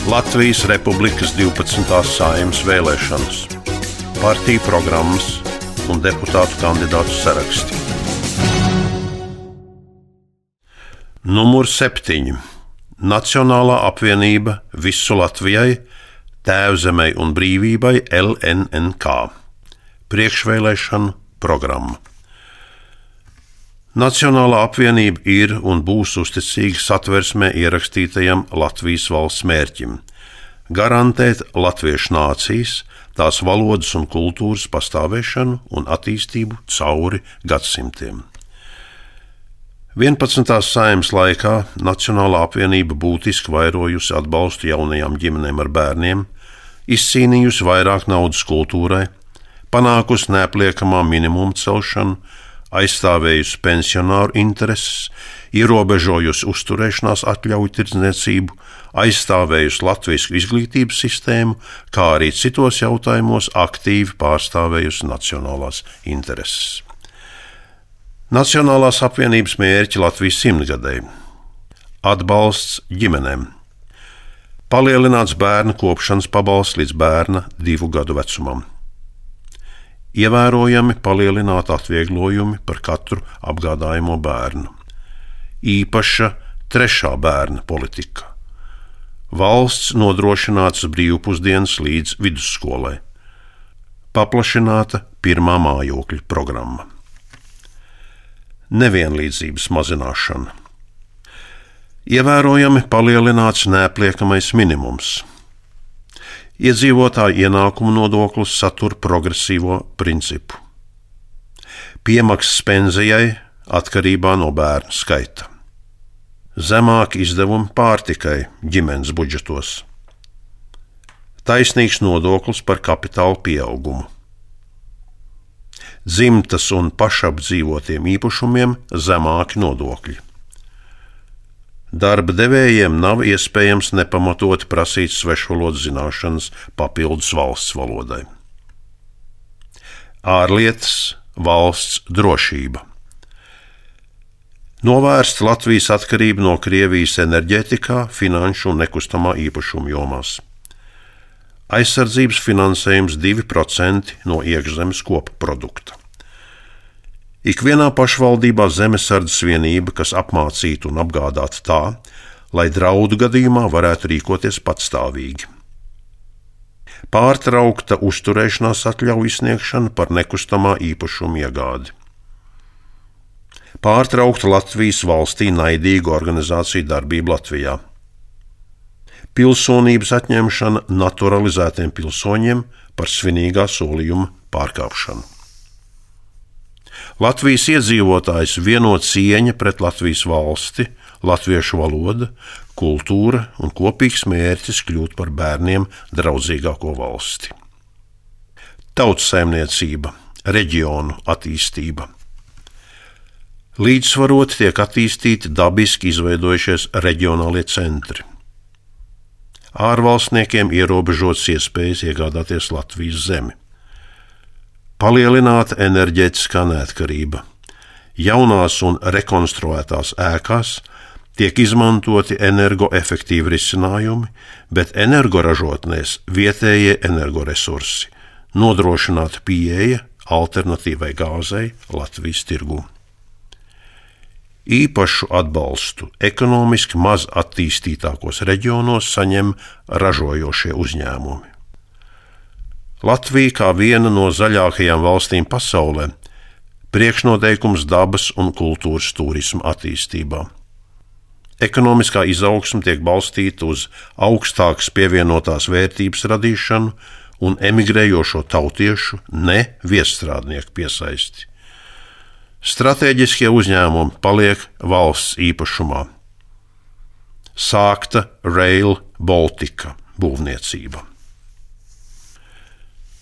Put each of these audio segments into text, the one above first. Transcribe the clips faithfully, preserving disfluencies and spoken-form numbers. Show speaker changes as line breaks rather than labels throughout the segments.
Latvijas Republikas divpadsmitās Saeimas vēlēšanas, partiju programmas un deputātu kandidātu saraksti. Numur septiņi. Nacionālā apvienība Visu Latvijai, Tēvzemei un brīvībai L N N K. Priekšvēlēšanu programma. Nacionālā apvienība ir un būs uzticīga Satversmē ierakstītajam Latvijas valsts mērķim – garantēt latviešu nācijas, tās valodas un kultūras pastāvēšanu un attīstību cauri gadsimtiem. vienpadsmitās Saeimas laikā Nacionālā apvienība būtiski vairojusi atbalstu jaunajām ģimenēm ar bērniem, izcīnījusi vairāk naudas kultūrai, panākusi neapliekamā minimuma celšanu, aizstāvējusi pensionāru intereses, ierobežojusi uzturēšanās atļauju tirdzniecību, aizstāvējusi latvisku izglītības sistēmu, kā arī citos jautājumos aktīvi pārstāvējusi nacionālās intereses. Nacionālās apvienības mērķi Latvijas simtgadei. Atbalsts ģimenēm. Palielināts bērnu kopšanas pabalsts līdz bērna divu gadu vecumam. Ievērojami palielināti atvieglojumi par katru apgādājamo bērnu. Īpaša trešā bērna politika. Valsts nodrošināts brīvpusdienas līdz vidusskolai. Paplašināta pirmā mājokļa programma. Nevienlīdzības mazināšana. Ievērojami palielināts neapliekamais minimums. Iedzīvotāju ienākumu nodoklis satur progresīvo principu. Piemaksas pensijai atkarībā no bērnu skaita. Zemāki izdevumi pārtikai ģimenes budžetos. Taisnīgs nodoklis par kapitāla pieaugumu. Dzimtas un pašapdzīvotiem īpašumiem zemāki nodokļi. Darba devējiem nav iespējams nepamatoti prasīt svešvalodu zināšanas papildus valsts valodai. Ārlietas, valsts drošība. Novērst Latvijas atkarību no Krievijas enerģētikā, finanšu un nekustamā īpašuma jomās. Aizsardzības finansējums divi procenti no iekšzemes koprodukta. Ikvienā pašvaldībā zemesardzes vienība, kas apmācītu un apgādātu tā, lai draudu gadījumā varētu rīkoties patstāvīgi. Pārtraukta uzturēšanās atļauju izsniegšana par nekustamā īpašuma iegādi. Pārtraukta Latvijas valstī naidīgu organizāciju darbību Latvijā. Pilsonības atņemšana naturalizētiem pilsoņiem par svinīgā solījuma pārkāpšanu. Latvijas iedzīvotājs vieno cieņa pret Latvijas valsti, latviešu valoda, kultūra un kopīgs mērķis kļūt par bērniem draudzīgāko valsti. Tautsaimniecība, reģionu attīstība. Līdzsvaroti tiek attīstīti dabiski izveidojušies reģionālie centri. Ārvalstniekiem ierobežotas iespējas iegādāties Latvijas zemi. Palielināta enerģētiskā neatkarība. Jaunās un rekonstruētās ēkās tiek izmantoti energoefektīvi risinājumi, bet energoražotnēs vietējie energoresursi, nodrošināta pieeja alternatīvai gāzei Latvijas tirgū. Īpašu atbalstu ekonomiski maz attīstītākos reģionos saņem ražojošie uzņēmumi. Latvija kā viena no zaļākajām valstīm pasaulē priekšnoteikums dabas un kultūras turisma attīstībā. Ekonomiskā izaugsme tiek balstīta uz augstākas pievienotās vērtības radīšanu un emigrējošo tautiešu, ne viesstrādnieku piesaisti. Stratēģiskie uzņēmumi paliek valsts īpašumā. Sākta Rail Baltica būvniecība.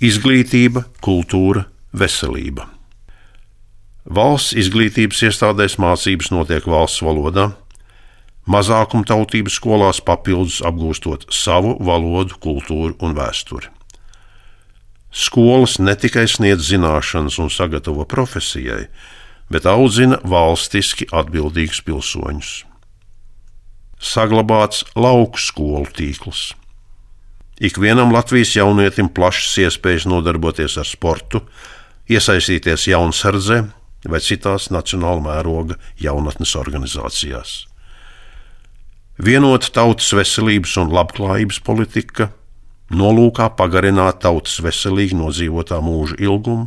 Izglītība, kultūra, veselība. Valsts izglītības iestādēs mācības notiek valsts valodā, mazākumtautības skolās papildus apgūstot savu valodu, kultūru un vēsturi. Skolas ne tikai sniedz zināšanas un sagatavo profesijai, bet audzina valstiski atbildīgus pilsoņus. Saglabāts lauku skolu tīkls. Ikvienam Latvijas jaunietim plašas iespējas nodarboties ar sportu, iesaistīties jaunsardzē vai citās nacionāla mēroga jaunatnes organizācijās. Vienota tautas veselības un labklājības politika, nolūkā pagarināt tautas veselīgi nodzīvotā mūža ilgumu,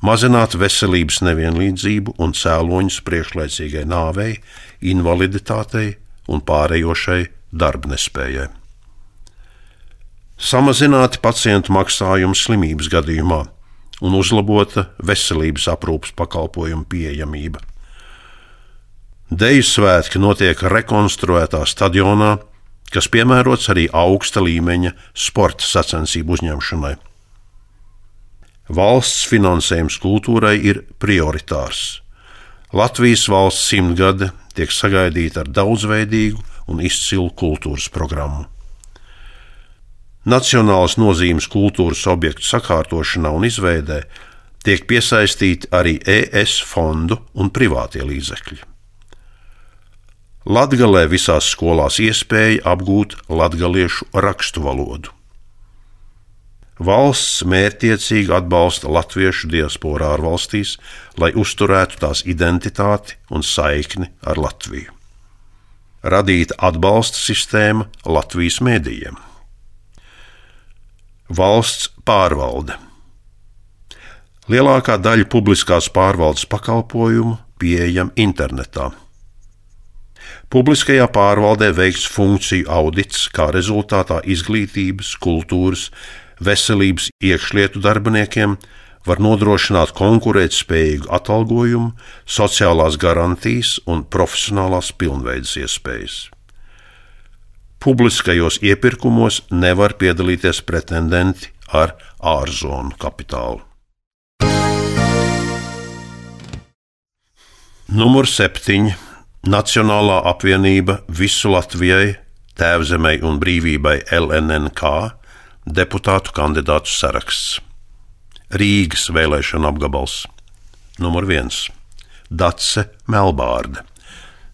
mazināt veselības nevienlīdzību un cēloņus priekšlaicīgai nāvei, invaliditātei un pārējošai darbnespējai. Samazināti pacientu maksājumi slimības gadījumā un uzlabota veselības aprūpes pakalpojumu pieejamība. Deju svētki notiek rekonstruētā stadionā, kas piemērots arī augsta līmeņa sporta sacensību uzņemšanai. Valsts finansējums kultūrai ir prioritārs. Latvijas valsts simtgade tiek sagaidīta ar daudzveidīgu un izcilu kultūras programmu. Nacionālas nozīmes kultūras objektu sakārtošanā un izveidē tiek piesaistīti arī E S fondu un privātie līdzekļi. Latgalē visās skolās iespēja apgūt latgaliešu rakstu valodu. Valsts mērķtiecīgi atbalsta latviešu diasporā ārvalstīs, lai uzturētu tās identitāti un saikni ar Latviju. Radīta atbalsta sistēma Latvijas mēdījiem. Valsts pārvalde. Lielākā daļa publiskās pārvaldes pakalpojumu pieejama internetā. Publiskajā pārvaldē veikts funkciju audits, kā rezultātā izglītības, kultūras, veselības iekšlietu darbiniekiem var nodrošināt konkurētspējīgu atalgojumu, sociālās garantijas un profesionālās pilnveides iespējas. Publiskajos iepirkumos nevar piedalīties pretendenti ar ārzonu kapitālu. Numur septiņi. Nacionālā apvienība Visu Latvijai, Tēvzemei un brīvībai L N N K deputātu kandidātu saraksts. Rīgas vēlēšana apgabals. Numur viens. Dace Melbārde.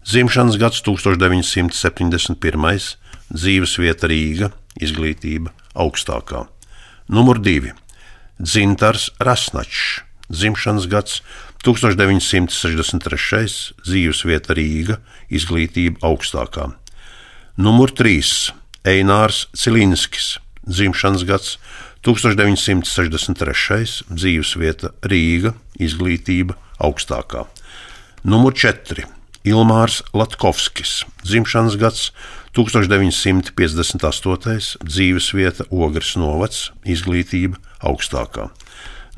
Dzimšanas gads tūkstoš deviņi simti septiņdesmit pirmais. Dzīvesvieta Rīga, izglītība augstākā. Numur divi. Dzintars Rasnačs. Dzimšanas gads tūkstoš deviņi simti sešdesmit trešais. Dzīvesvieta Rīga, izglītība augstākā. Numur trīs. Einārs Cilinskis. Dzimšanas gads tūkstoš deviņi simti sešdesmit trešais. Dzīvesvieta Rīga, izglītība augstākā. Numur četri. Ilmārs Latkovskis. Dzimšanas gads tūkstoš deviņi simti piecdesmit astotais. Dzīvesvieta Ogres novads, izglītība augstākā.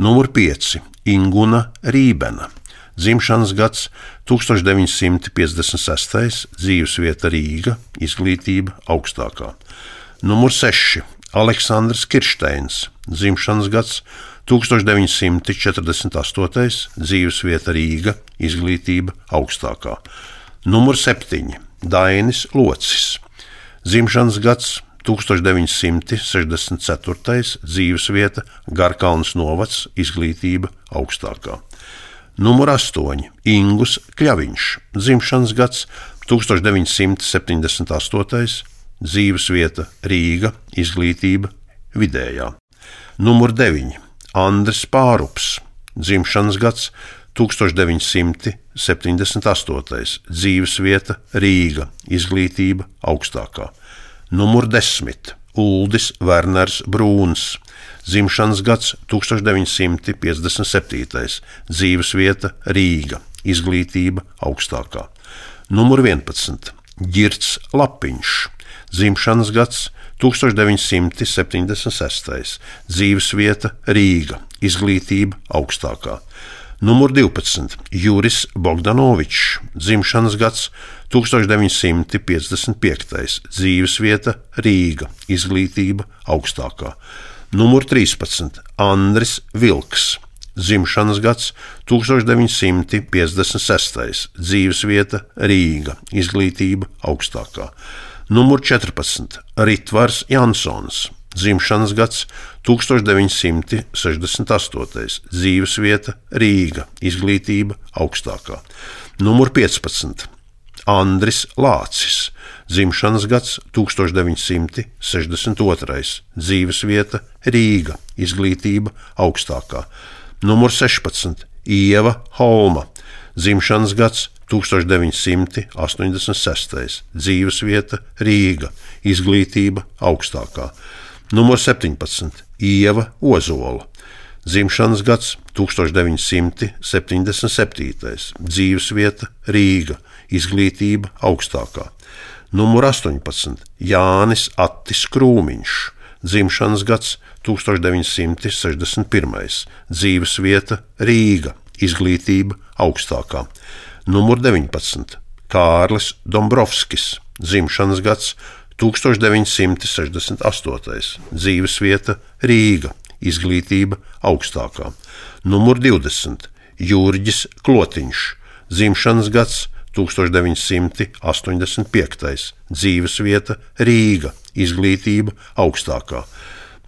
Numur pieci. Inguna Rībena. Dzimšanas gads tūkstoš deviņi simti piecdesmit sestais. Dzīvesvieta Rīga, izglītība augstākā. Numur seši. Aleksandrs Kiršteins. Dzimšanas gads tūkstoš deviņi simti četrdesmit astotais. Dzīvesvieta Rīga, izglītība augstākā. Numur septiņi. Dainis Locis. Dzimšanas gads tūkstoš deviņi simti sešdesmit ceturtais. Dzīvesvieta Garkalns novads, izglītība augstākā. Numur astoņi. Ingus Kļaviņš. Dzimšanas gads tūkstoš deviņi simti septiņdesmit astotais. Dzīvesvieta Rīga, izglītība vidējā. Numur deviņi. Andris Pārups. Dzimšanas gads tūkstoš deviņi simti septiņdesmit astotais. Dzīvesvieta Rīga, izglītība augstākā. Numur desmit. Uldis Werners Brūns. Dzimšanas gads tūkstoš deviņi simti piecdesmit septītais. Dzīvesvieta Rīga, izglītība augstākā. Numur vienpadsmit. Ģirts Lapiņš. Dzimšanas gads tūkstoš deviņi simti septiņdesmit sestais. Dzīvesvieta Rīga, izglītība augstākā. Numur divpadsmit. Juris Bogdanovičs. Dzimšanas gads tūkstoš deviņi simti piecdesmit piektais. Dzīvesvieta Rīga, izglītība augstākā. Numur trīspadsmit. Andris Vilks. Dzimšanas gads tūkstoš deviņi simti piecdesmit sestais. Dzīvesvieta Rīga, izglītība augstākā. Numur četrpadsmit. Ritvars Jansons. Dzimšanas gads tūkstoš deviņi simti sešdesmit astotais. Dzīvesvieta Rīga, izglītība augstākā. Numur piecpadsmit. Andris Lācis. dzimšanas gads tūkstoš deviņi simti sešdesmit otrais, dzīvesvieta Rīga, izglītība augstākā. Numur sešpadsmit Ieva Holma, dzimšanas gads tūkstoš deviņi simti astoņdesmit sestais, dzīvesvieta Rīga, izglītība augstākā. Numur septiņpadsmit Ieva Ozola, dzimšanas gads tūkstoš deviņi simti septiņdesmit septītais, dzīvesvieta Rīga, izglītība augstākā. Numur astoņpadsmit Jānis Attis Krūmiņš, dzimšanas gads tūkstoš deviņi simti sešdesmit pirmais, dzīvesvieta Rīga, izglītība augstākā. Numur deviņpadsmit Kārlis Dombrovskis, dzimšanas gads tūkstoš deviņi simti sešdesmit astotais, dzīvesvieta Rīga, izglītība augstākā. Numur divdesmit Jurģis Klotiņš, dzimšanas gads tūkstoš deviņi simti astoņdesmit piektais, dzīvesvieta Rīga, izglītība augstākā.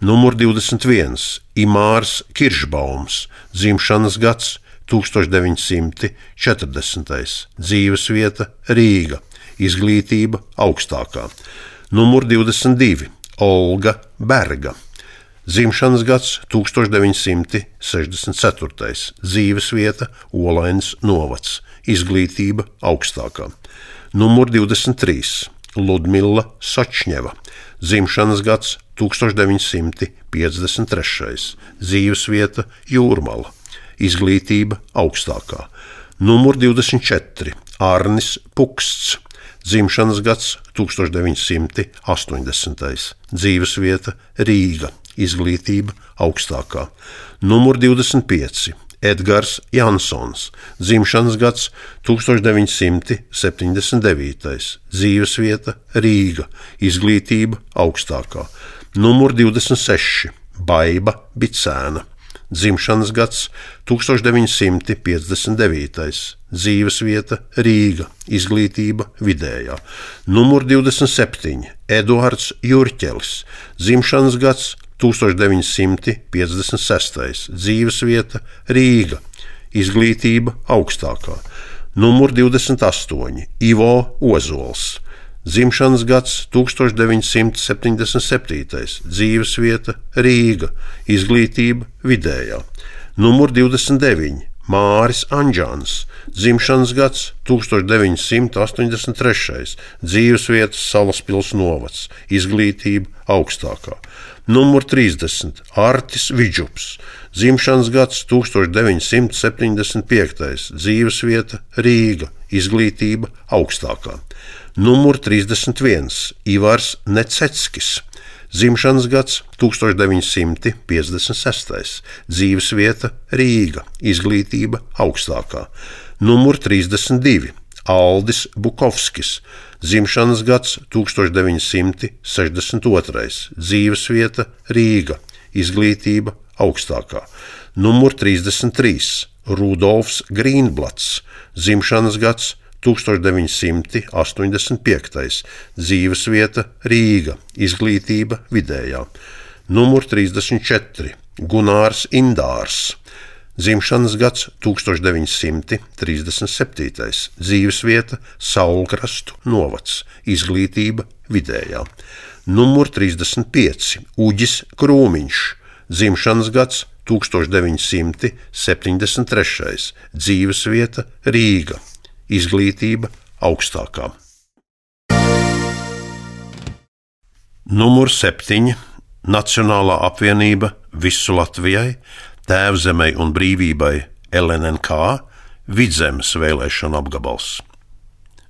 Numur divdesmit viens Imārs Kiršbaums, dzimšanas gads tūkstoš deviņi simti četrdesmitais, dzīvesvieta Rīga, izglītība augstākā. Numur divdesmit divi Olga Berga, dzimšanas gads tūkstoš deviņi simti sešdesmit ceturtais, dzīvesvieta Olainas novads, izglītība augstākā. Numur divdesmit trīs Ludmila Sočņeva, dzimšanas gads tūkstoš deviņi simti piecdesmit trešais, dzīvesvieta Jūrmala, izglītība augstākā. Numur divdesmit četri Arnis Puksts, dzimšanas gads tūkstoš deviņi simti astoņdesmitais, dzīvesvieta Rīga, izglītība augstākā. Numur divdesmit pieci Edgars Jansons, dzimšanas gads tūkstoš deviņi simti septiņdesmit devītais, dzīvesvieta Rīga, izglītība augstākā. Numur divdesmit seši Baiba Bicēna, dzimšanas gads tūkstoš deviņi simti piecdesmit devītais, dzīvesvieta Rīga, izglītība vidējā. Numur divdesmit septiņi Eduards Jurķelis, dzimšanas gads tūkstoš deviņi simti piecdesmit sestais, dzīvesvieta Rīga, izglītība augstākā. Numur divdesmit astoņi Ivo Ozols, dzimšanas gads tūkstoš deviņi simti septiņdesmit septītais, dzīvesvieta Rīga, izglītība vidējā. Numur divdesmit deviņi Māris Anģāns, dzimšanas gads tūkstoš deviņi simti astoņdesmit trešais, dzīvesvieta Salaspils novads, izglītība augstākā. Numur trīsdesmit Artis Vidžups, dzimšanas gads tūkstoš deviņi simti septiņdesmit piektais, dzīvesvieta Rīga, izglītība augstākā. Numur trīsdesmit viens Ivars Nececkis, dzimšanas gads tūkstoš deviņi simti piecdesmit sestais, dzīvesvieta Rīga, izglītība augstākā. Numur trīsdesmit divi Aldis Bukovskis, dzimšanas gads tūkstoš deviņi simti sešdesmit otrais, dzīvesvieta Rīga, izglītība augstākā. Numur trīsdesmit trīs Rudolfs Grīnblats, dzimšanas gads tūkstoš deviņi simti astoņdesmit piektais, dzīvesvieta Rīga, izglītība vidējā. Numur trīsdesmit četri Gunārs Indārs, dzimšanas gads tūkstoš deviņi simti trīsdesmit septītais, dzīvesvieta Saulkrastu novads, izglītība vidējā. Numur trīsdesmit pieci Uģis Krūmiņš, dzimšanas gads tūkstoš deviņi simti septiņdesmit trešais, dzīvesvieta Rīga, izglītība augstākā. Numur septiņi Nacionālā apvienība Visu Latvijai, Tēvzemei un brīvībai L N N K, Vidzemes vēlēšana apgabals.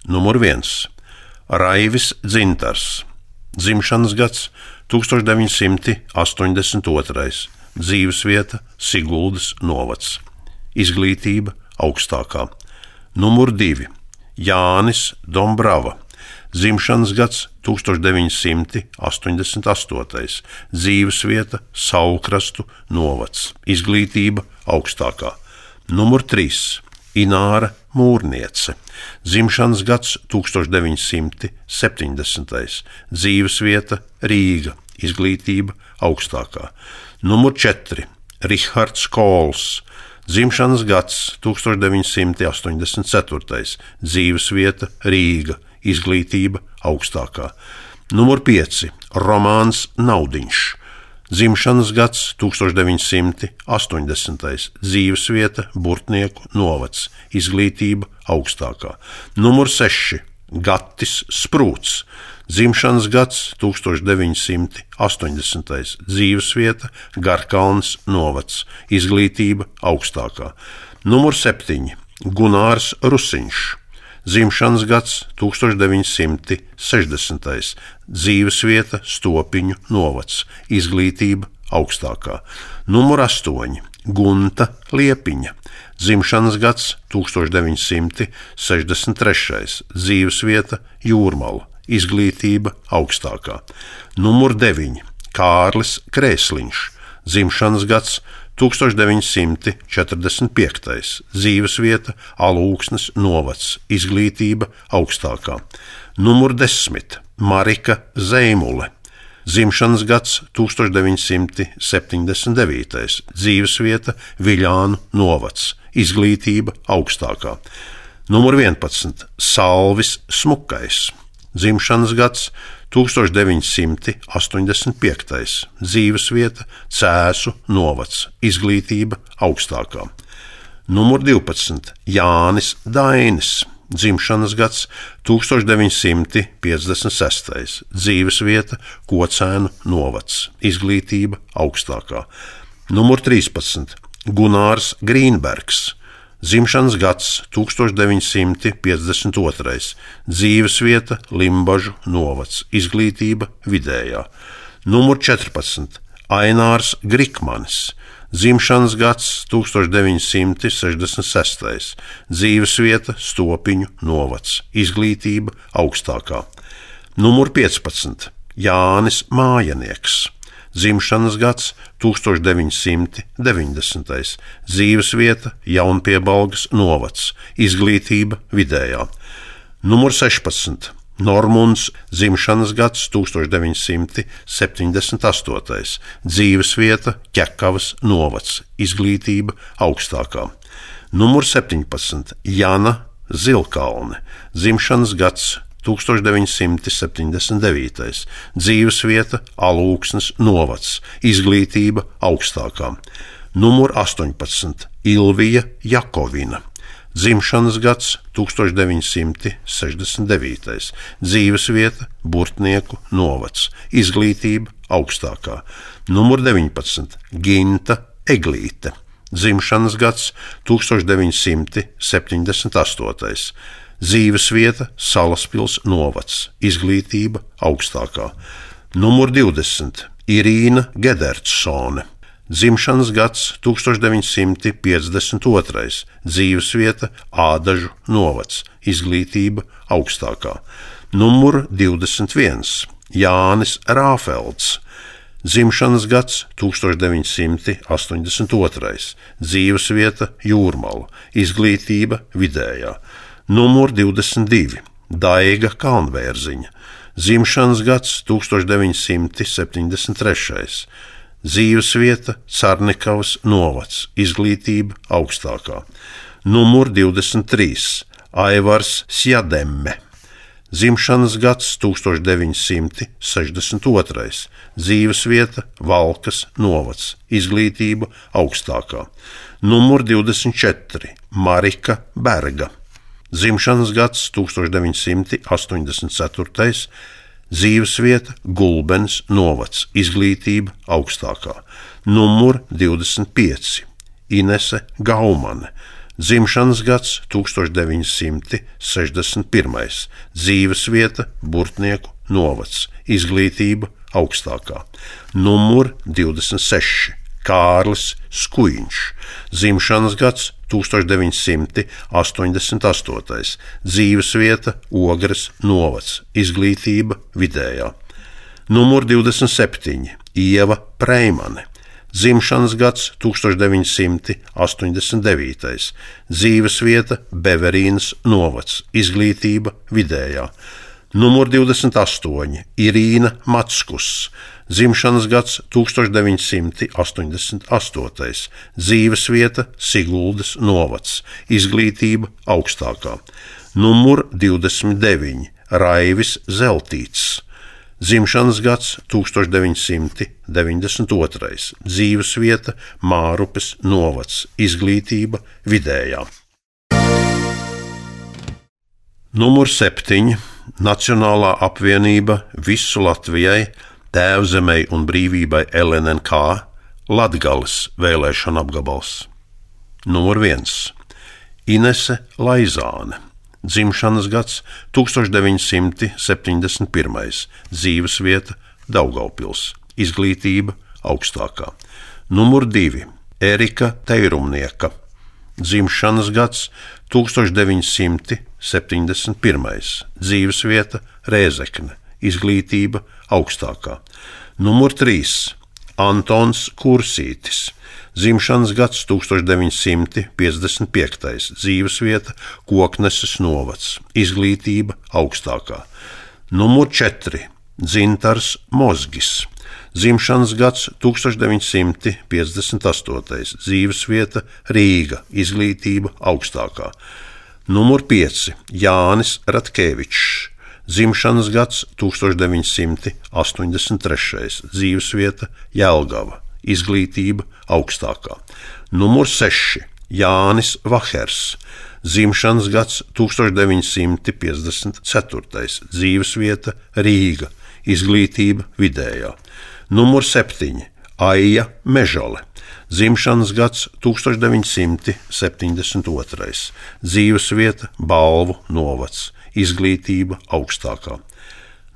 Numur viens Raivis Dzintars, dzimšanas gads tūkstoš deviņi simti astoņdesmit otrais, dzīvesvieta Siguldas novads, izglītība augstākā. Numur divi Jānis Dombrava, dzimšanas gads tūkstoš deviņi simti astoņdesmit astotais, dzīvesvieta Saulkrastu novads, izglītība augstākā. Numur trīs Ināra Mūrniece, dzimšanas gads tūkstoš deviņi simti septiņdesmitais, dzīvesvieta Rīga, izglītība augstākā. Numur četri Rihards Kols, dzimšanas gads tūkstoš deviņi simti astoņdesmit ceturtais, dzīvesvieta Rīga, izglītība augstākā. Numur pieci. Romāns Naudiņš. Dzimšanas gads tūkstoš deviņi simti astoņdesmitais. Dzīvesvieta Burtnieku novads, izglītība augstākā. Numur seši. Gatis Sprūts. Dzimšanas gads tūkstoš deviņi simti astoņdesmitais. Dzīvesvieta Garkalns novads, izglītība augstākā. Numur septiņi. Gunārs Rusiņš. Dzimšanas gads tūkstoš deviņi simti sešdesmitais. Dzīvesvieta Stopiņu novads, izglītība augstākā. Numur astoņi. Gunta Liepiņa. Dzimšanas gads tūkstoš deviņi simti sešdesmit trešais. Dzīvesvieta Jūrmala, izglītība augstākā. Numur deviņi. Kārlis Krēsliņš. Dzimšanas gads tūkstoš deviņi simti četrdesmit piektais. Dzīvesvieta Alūksnes novads, izglītība augstākā. Numur desmit. Marika Zeimule. Dzimšanas gads tūkstoš deviņi simti septiņdesmit devītais. Dzīvesvieta Viļānu novads, izglītība augstākā. Numur vienpadsmit. Salvis Smukais. Dzimšanas gads tūkstoš deviņi simti astoņdesmit piektais. Dzīvesvieta Cēsu novads, izglītība augstākā. Numur divpadsmit. Jānis Dainis. Dzimšanas gads tūkstoš deviņi simti piecdesmit sestais. Dzīvesvieta Kocēnu novads, izglītība augstākā. Numur trīspadsmit. Gunārs Grīnbergs. Dzimšanas gads tūkstoš deviņi simti piecdesmit otrais. Dzīvesvieta Limbažu novads, izglītība vidējā. Numur četrpadsmit. Ainārs Grikmanis. Dzimšanas gads tūkstoš deviņi simti sešdesmit sestais. Dzīvesvieta Stopiņu novads, izglītība augstākā. Numur piecpadsmit. Jānis Mājanieks. Dzimšanas gads tūkstoš deviņi simti deviņdesmitais. Dzīvesvieta Jaunpiebalgas novads, izglītība vidējā. Numur sešpadsmit. Normunds. Dzimšanas gads tūkstoš deviņi simti septiņdesmit astotais. Dzīvesvieta Ķekavas novads, izglītība augstākā. Numur septiņpadsmit. Jana Zilkalne. Dzimšanas gads tūkstoš deviņi simti septiņdesmit devītais. Dzīvesvieta Alūksnes novads, izglītība augstākā. Numur astoņpadsmit. Ilvija Jakovina. Dzimšanas gads tūkstoš deviņi simti sešdesmit devītais. Dzīvesvieta Burtnieku novads, izglītība augstākā. Numur deviņpadsmit. Ginta Eglīte. Dzimšanas gads tūkstoš deviņi simti septiņdesmit astotais. Dzīvesvieta Salaspils novads, izglītība augstākā. Numur divdesmit. Irīna Gedertsone. Dzimšanas gads tūkstoš deviņi simti piecdesmit otrais. Dzīvesvieta Ādažu novads, izglītība augstākā. Numur divdesmit viens. Jānis Rāfelds. Dzimšanas gads tūkstoš deviņi simti astoņdesmit otrais. Dzīvesvieta Jūrmala, izglītība vidējā. Numur divdesmit divi. Daiga Kalnvērziņa. Dzimšanas gads tūkstoš deviņi simti septiņdesmit trešais. Dzīvesvieta Carnikavas novads, izglītība augstākā. Numur divdesmit trīs. Aivars Sjademme. Dzimšanas gads tūkstoš deviņi simti sešdesmit otrais. Dzīvesvieta Valkas novads, izglītība augstākā. Numur divdesmit četri. Marika Berga. Dzimšanas gads tūkstoš deviņi simti astoņdesmit ceturtais. Dzīvesvieta Gulbens novads, izglītība augstākā. Numur divdesmit pieci. Inese Gaumane. Dzimšanas gads tūkstoš deviņi simti sešdesmit pirmais. Dzīvesvieta Burtnieku novads, izglītība augstākā. Numur divdesmit seši. Kārlis Skuiņš. Dzimšanas gads tūkstoš deviņi simti astoņdesmit astotais. Dzīvesvieta Ogres novads, izglītība vidējā. Numur divdesmit septiņi. Ieva Preimane. Dzimšanas gads tūkstoš deviņi simti astoņdesmit devītais. Dzīvesvieta Beverīnas novads, izglītība vidējā. Numur divdesmit astoņi. Irīna Matskus. Dzimšanas gads tūkstoš deviņi simti astoņdesmit astotais. Dzīvesvieta Siguldas novads, izglītība augstākā. Numur divdesmit deviņi. Raivis Zeltīts, dzimšanas gads tūkstoš deviņi simti deviņdesmit otrais, dzīvesvieta Mārupes novads, izglītība vidējā. Numur septiņi. Nacionālā apvienība Visu Latvijai, Tēvzemei un brīvībai L N N K, Latgales vēlēšana apgabals. Numur viens. Inese Laizāne, dzimšanas gads tūkstoš deviņi simti septiņdesmit pirmais, dzīvesvieta Daugavpils, izglītība augstākā. Numur divi. Erika Teirumnieka, dzimšanas gads tūkstoš deviņi simti septiņdesmit pirmais, dzīvesvieta Rēzekne, izglītība augstākā. Numur trīs. Antons Kursītis, dzimšanas gads tūkstoš deviņi simti piecdesmit piektais, dzīvesvieta Kokneses novads, izglītība augstākā. Numur četri. Dzintars Mozgis, dzimšanas gads tūkstoš deviņi simti piecdesmit astotais, dzīvesvieta Rīga, izglītība augstākā. Numur pieci. Jānis Ratkevičs, dzimšanas gads tūkstoš deviņi simti astoņdesmit trešais, dzīvesvieta Jelgava, izglītība augstākā. Numur seši. Jānis Vahers, dzimšanas gads tūkstoš deviņi simti piecdesmit ceturtais, dzīvesvieta Rīga, izglītība vidējā. Numur septiņi. Aija Mežale, dzimšanas gads tūkstoš deviņi simti septiņdesmit otrais, dzīvesvieta Balvu novads, izglītība augstākā.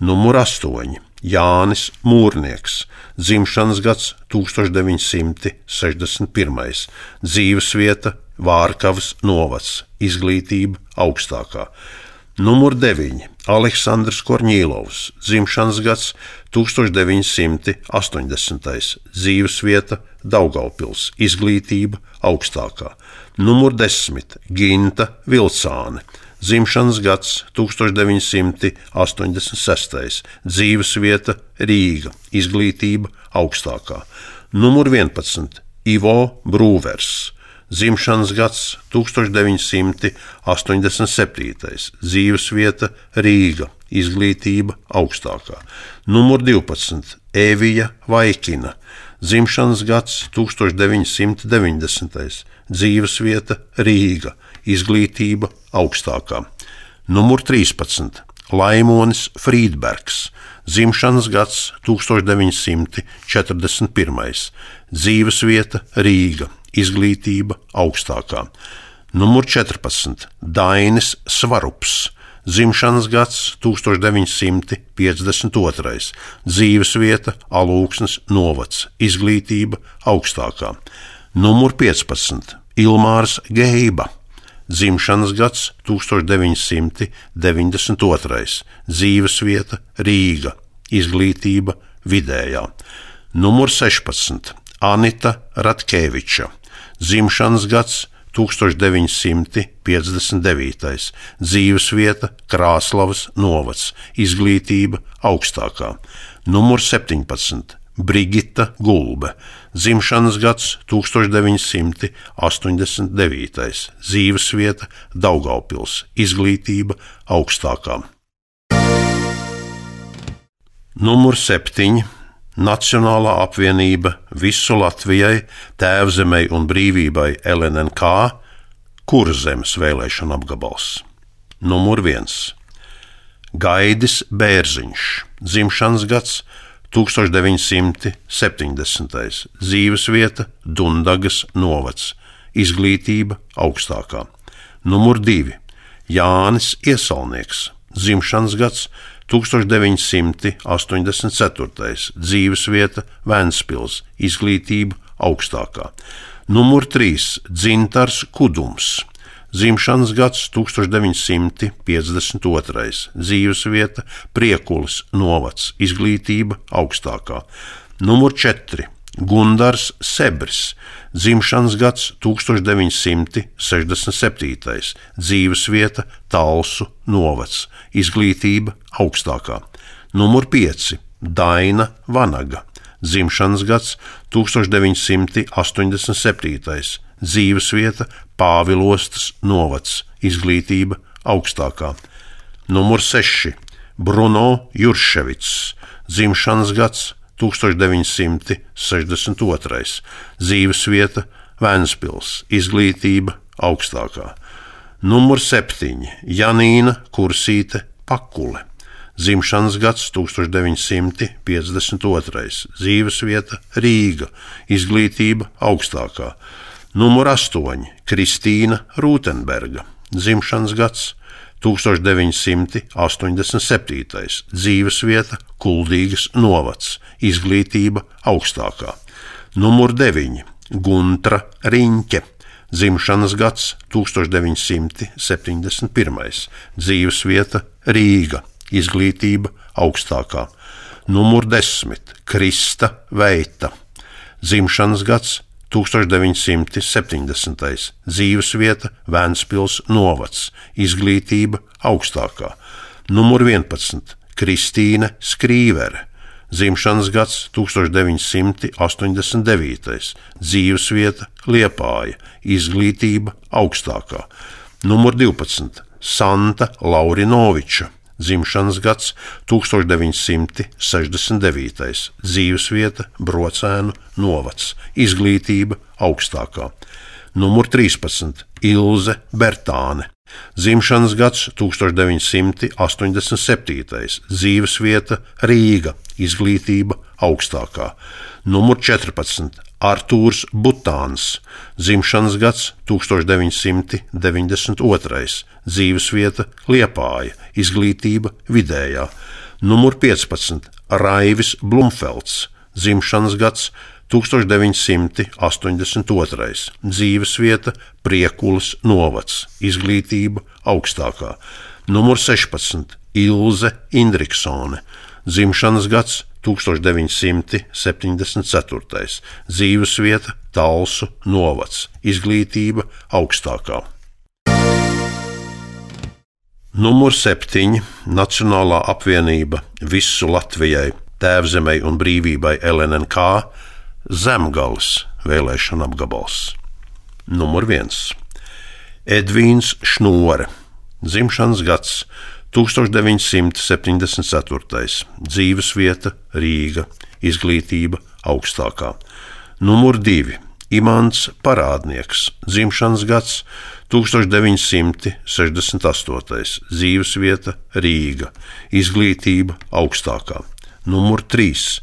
Numur astoņi. Jānis Mūrnieks, dzimšanas gads tūkstoš deviņi simti sešdesmit pirmais, dzīvesvieta Vārkavas novads, izglītība augstākā. Numur deviņi. Aleksandrs Korņīlovs, dzimšanas gads tūkstoš deviņi simti astoņdesmitais, dzīvesvieta Daugavpils, izglītība augstākā. Numur desmit. Ginta Vilcāne, dzimšanas gads tūkstoš deviņi simti astoņdesmit sestais, dzīvesvieta Rīga, izglītība augstākā. Numur vienpadsmit. Ivo Brūvers, dzimšanas gads tūkstoš deviņi simti astoņdesmit septītais, dzīvesvieta Rīga, izglītība augstākā. Numur divpadsmit. Evija Vaikina, dzimšanas gads tūkstoš deviņi simti deviņdesmitais, dzīvesvieta Rīga, izglītība augstākā. Numur trīspadsmit. Laimonis Frīdbergs, dzimšanas gads tūkstoš deviņi simti četrdesmit pirmais, dzīvesvieta Rīga, izglītība augstākā. Numur četrpadsmit. Dainis Svarups, dzimšanas gads tūkstoš deviņi simti piecdesmit otrais, dzīvesvieta Alūksnes novads, izglītība augstākā. Numur piecpadsmit. Ilmārs Geiba, dzimšanas gads tūkstoš deviņi simti deviņdesmit otrais, dzīvesvieta Rīga, izglītība vidējā. Numur sešpadsmit. Anita Ratkeviča, dzimšanas gads tūkstoš deviņi simti piecdesmit devītais, dzīvesvieta Krāslavas novads, izglītība augstākā. Numur septiņpadsmit. Brigita Gulbe, dzimšanas gads tūkstoš deviņi simti astoņdesmit devītais, dzīvesvieta Daugavpils, izglītība augstākā. Numur septiņi. Nacionālā apvienība Visu Latvijai, Tēvzemei un brīvībai L N N K, Kurzemes vēlēšana apgabals. Numur viens. Gaidis Bērziņš, dzimšanas gads tūkstoš deviņi simti septiņdesmitais, dzīvesvieta Dundagas novads, izglītība augstākā. Numur divi. Jānis Iesalnieks, dzimšanas gads tūkstoš deviņi simti astoņdesmit ceturtais, dzīvesvieta Ventspils, izglītība augstākā. Numur trīs. Dzintars Kudums, dzimšanas gads tūkstoš deviņi simti piecdesmit otrais, dzīvesvieta Priekulas novads, izglītība augstākā. Numur četri. Gundars Sebris, dzimšanas gads tūkstoš deviņi simti sešdesmit septītais, dzīvesvieta Talsu novads, izglītība augstākā. Numur pieci. Daina Vanaga, dzimšanas gads tūkstoš deviņi simti astoņdesmit septītais, dzīvesvieta Pāvilostas novads, izglītība augstākā. Numur seši. Bruno Jurševics, dzimšanas gads tūkstoš deviņi simti sešdesmit otrais, dzīvesvieta Ventspils, izglītība augstākā. Numur septiņi Janīna Kursīte Pakule, dzimšanas gads tūkstoš deviņi simti piecdesmit otrais, dzīvesvieta Rīga, izglītība augstākā. Numur astoņi Kristīna Rūtenberga, dzimšanas gads tūkstoš deviņi simti astoņdesmit septītais, dzīvesvieta Kuldīgas novads, izglītība augstākā. Numur deviņi Guntra Riņķe, dzimšanas gads tūkstoš deviņi simti septiņdesmit pirmais, dzīvesvieta Rīga, izglītība augstākā. Numur desmit Krista Veita, dzimšanas gads tūkstoš deviņi simti septiņdesmitais, dzīvesvieta Ventspils novads, izglītība augstākā. Numur vienpadsmit Kristīne Skrīvere, dzimšanas gads tūkstoš deviņi simti astoņdesmit devītais, dzīvesvieta Liepāja, izglītība augstākā. Numur divpadsmit Santa Laurinoviča, dzimšanas gads tūkstoš deviņi simti sešdesmit devītais, dzīvesvieta Brocēnu novads, izglītība augstākā. Numur trīspadsmit Ilze Bertāne, dzimšanas gads tūkstoš deviņi simti astoņdesmit septītais, dzīvesvieta Rīga, izglītība augstākā. Numur četrpadsmit Artūrs Butāns, dzimšanas gads tūkstoš deviņi simti deviņdesmit otrais, dzīvesvieta Liepāja, izglītība vidējā. Numur piecpadsmit Raivis Blumfelds, dzimšanas gads tūkstoš deviņi simti astoņdesmit otrais, dzīvesvieta Priekulas novads, izglītība augstākā. Numur sešpadsmit Ilze Indriksone, dzimšanas gads tūkstoš deviņi simti septiņdesmit ceturtais, dzīvesvieta Talsu novads, izglītība augstākā. Numur septiņi Nacionālā apvienība Visu Latvijai, Tēvzemei un brīvībai L N N K, Zemgales vēlēšana apgabals. Numur viens Edvīns Šnore, dzimšanas gads tūkstoš deviņi simti septiņdesmit ceturtais, dzīvesvieta Rīga, izglītība augstākā. Numur divi Imants Parādnieks, dzimšanas gads tūkstoš deviņi simti sešdesmit astotais, dzīvesvieta Rīga, izglītība augstākā. Numur trīs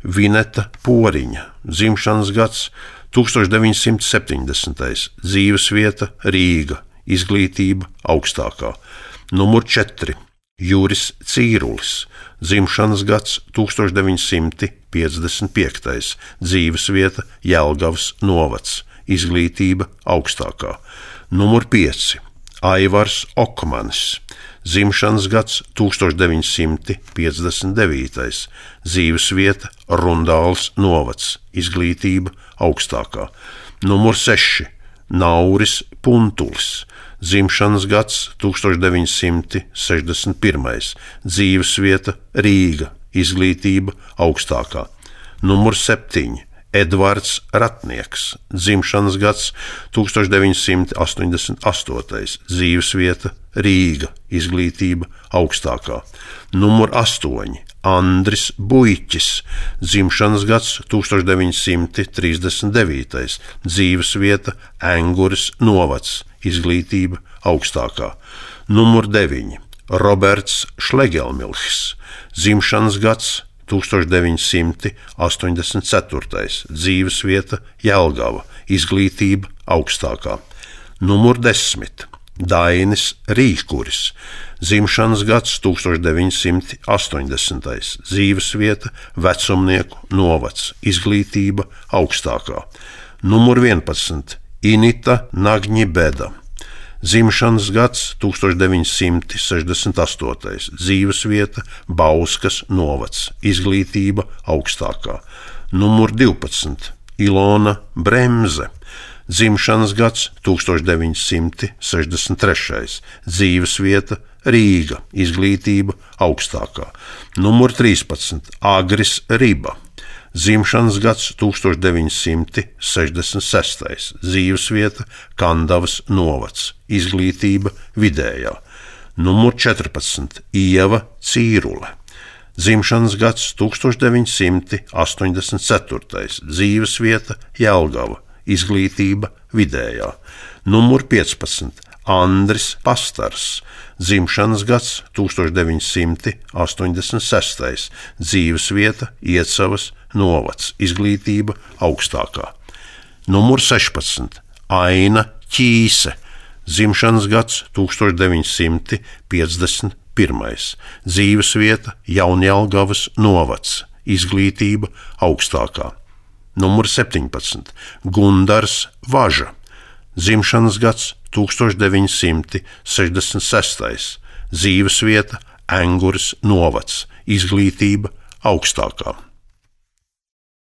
Vineta Poriņa, dzimšanas gads tūkstoš deviņi simti septiņdesmitais, dzīvesvieta Rīga, izglītība augstākā. Numur četri Juris Cīrulis, dzimšanas gads tūkstoš deviņi simti piecdesmit piektais, dzīvesvieta Jelgavas novads, izglītība augstākā. Numur pieci Aivars Okmanis, dzimšanas gads tūkstoš deviņi simti piecdesmit devītais, dzīvesvieta Rundāls novads, izglītība augstākā. Numur seši Nauris Puntulis, dzimšanas gads tūkstoš deviņi simti sešdesmit pirmais, dzīvesvieta Rīga, izglītība augstākā. Numur septiņi Edvards Ratnieks, dzimšanas gads tūkstoš deviņi simti astoņdesmit astotais, dzīvesvieta Rīga, izglītība augstākā. Numur astoņi Andris Buiķis, dzimšanas gads tūkstoš deviņi simti trīsdesmit devītais, dzīvesvieta Enguras novads, izglītība augstākā. Numur deviņi Roberts Šlegelmilhs, dzimšanas gads tūkstoš deviņi simti astoņdesmit ceturtais, dzīvesvieta Jelgava, izglītība augstākā. Numur desmit Dainis Rīkuris, dzimšanas gads tūkstoš deviņi simti astoņdesmitais, dzīvesvieta Vecumnieku novads, izglītība augstākā. Numur vienpadsmit Inita Nagņibeda, dzimšanas gads tūkstoš deviņi simti sešdesmit astotais, dzīvesvieta Bauskas novads, izglītība augstākā. Numur divpadsmit Ilona Bremze, dzimšanas gads tūkstoš deviņi simti sešdesmit trešais, dzīvesvieta Rīga, izglītība augstākā. Numur trīspadsmit Agris Riba, dzimšanas gads tūkstoš deviņi simti sešdesmit sestais, dzīvesvieta Kandavas novads, izglītība vidējā. Numur četrpadsmit. Ieva Cīrule. Dzimšanas gads tūkstoš deviņsimt astoņdesmit ceturtais. Dzīvesvieta Jelgava. Izglītība vidējā. Numur piecpadsmit. Andris Pastars. Dzimšanas gads tūkstoš deviņsimt astoņdesmit sestais. Dzīvesvieta Iecavas novads. Izglītība augstākā. Numur sešpadsmit. Aina Ķīse. Dzimšanas gads tūkstoš deviņsimt piecdesmit pirmais. Dzīvesvieta Jaunjelgavas novads. Izglītība augstākā. Numur septiņpadsmit. Gundars Važa. Dzimšanas gads tūkstoš deviņsimt sešdesmit sestais. Dzīvesvieta Engures novads. Izglītība augstākā.